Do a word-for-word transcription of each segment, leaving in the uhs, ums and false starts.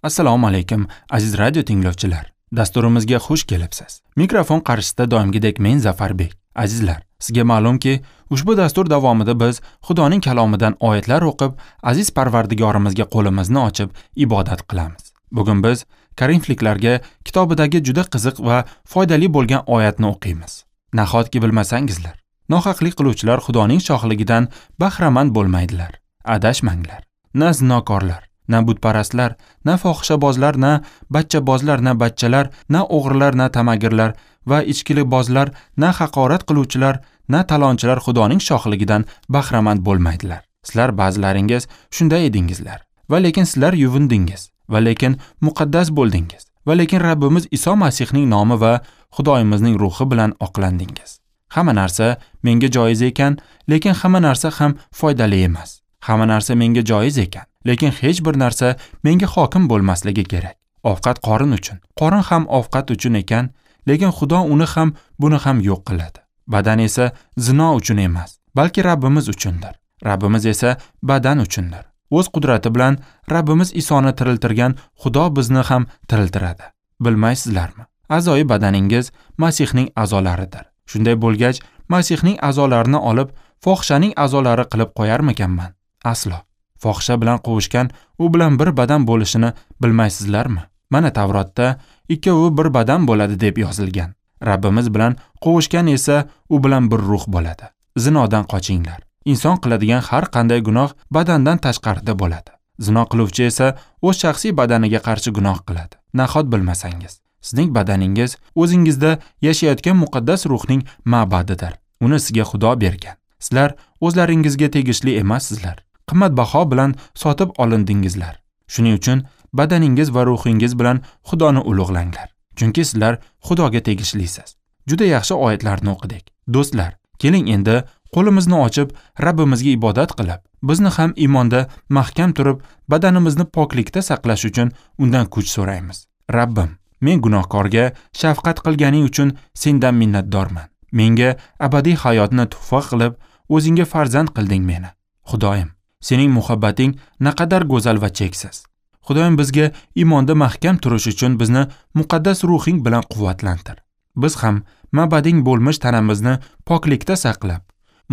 Assalomu alaykum aziz radio tinglovchilar. Dasturimizga xush kelibsiz. Mikrofon qarshisida doimgidek men Zafarbek. Azizlar, sizga ma'lumki, ushbu dastur davomida biz Xudoning kalomidan oyatlar o'qib, aziz Parvardigorimizga qo'limizni ochib ibodat qilamiz. Bugun biz Korinfliklarga kitobidagi juda qiziq va foydali bo'lgan oyatni o'qiymiz. Nahotki bilmasangizlar, nohaqlik qiluvchilar Xudoning shohligidan bahramand bo'lmaydilar. Adashmanglar. Na zinokorlar, na butparastlar, na fohishabozlar, na bachchabozlar, na bachchalar, na o'g'rilar, na tamagirlar va ichkilikbozlar, na haqorat qiluvchilar, na talonchilar Xudoning shohligidan bahramand bo'lmaydilar. Sizlar ba'zilaringiz shunday edingizlar. Va lekin sizlar yuvindingiz, va lekin muqaddas bo'ldingiz, va lekin Rabbimiz Iso Masihning nomi va Xudoyimizning ruhi bilan oqlandingiz. Hamma narsa menga joiz ekan, lekin hamma narsa ham foydali emas. Hamma narsa menga joiz ekan, lekin hech bir narsa menga hokim bo'lmasligi kerak. Ovqat qorin uchun, qorin ham ovqat uchun ekan, lekin Xudo uni ham, buni ham yo'q qiladi. Badan esa zino uchun emas, balki Rabbimiz uchundir. Rabbimiz esa badan uchundir. O'z qudrati bilan Rabbimiz Isoni tiriltirgan Xudo bizni ham tiriltiradi. Bilmaysizlarmi? A'zoyi badaningiz Masihning a'zolaridir. Shunday bo'lgach, Masihning a'zolarini olib, fohishaning a'zolari qilib qo'yarmikanman? Aslo. Fohisha bilan qovushgan u bilan bir badan bo'lishini bilmaysizlarmi? Mana Tavrotda ikkovi bir badan bo'ladi deb yozilgan. Rabbimiz bilan qovushgan esa u bilan bir ruh bo'ladi. Zinodan qochinglar. Inson qiladigan har qanday gunoh badandan tashqarida bo'ladi. Zino qiluvchi esa o'z shaxsiy badaniga qarshi gunoh qiladi. Nahot bilmasangiz, sizning badaningiz o'zingizda yashayotgan muqaddas ruhning ma'badidir. Uni sizga Xudo bergan. Sizlar o'zlaringizga tegishli emassizlar. Qimmatbaho bilan sotib olindingizlar. Shuning uchun badaningiz va ruhingiz bilan Xudoni ulug'langlar. Chunki sizlar Xudoga tegishlisiz. Juda yaxshi oyatlarni o'qidik. Do'stlar, keling endi qo'limizni ochib Rabbimizga ibodat qilib, bizni ham iymonda mahkam turib, badanimizni poklikda saqlash uchun undan kuch so'raymiz. Rabbim, men gunohkorga shafqat qilganing uchun sendan minnatdorman. Menga abadiy hayotni tuhfa qilib, o'zingga farzand qilding meni. Xudoyim, sening muhabbating naqadar go'zal va cheksiz. Xudoyim bizga iymonda mahkam turish uchun bizni muqaddas ruhing bilan quvvatlantir. Biz ham ma'bading bo'lmish tanamizni poklikda saqlab,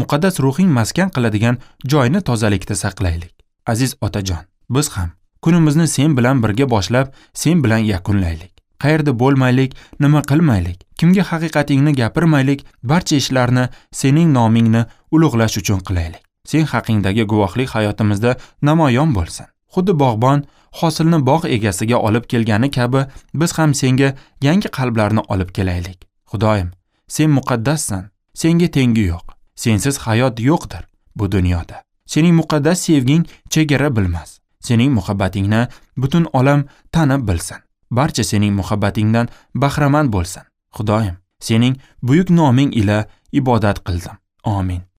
muqaddas ruhing maskan qiladigan joyni tozalikda saqlaylik. Aziz otajon, biz ham kunimizni sen bilan birga boshlab, sen bilan yakunlaylik. Qayerda bo'lmaylik, nima qilmaylik, kimga haqiqatingni gapirmaylik, barcha ishlarni sening nomingni ulug'lash uchun qilaylik. Sen haqingdagi guvohlik hayotimizda namoyon bo'lsin. Xuddi bog'bon hosilni bog' egasiga olib kelgani kabi, biz ham senga yangi qalblarni olib kelaylik. Xudoyim, sen muqaddassan, senga tengi yo'q. Sensiz hayot yo'qdir bu dunyoda. Sening muqaddas sevging chegara bilmas. Sening muhabbatingni butun olam tanib bilsin. Barcha sening muhabbatingdan bahramand bo'lsin. Xudoyim, sening buyuk noming ila ibodat qildim. Amin.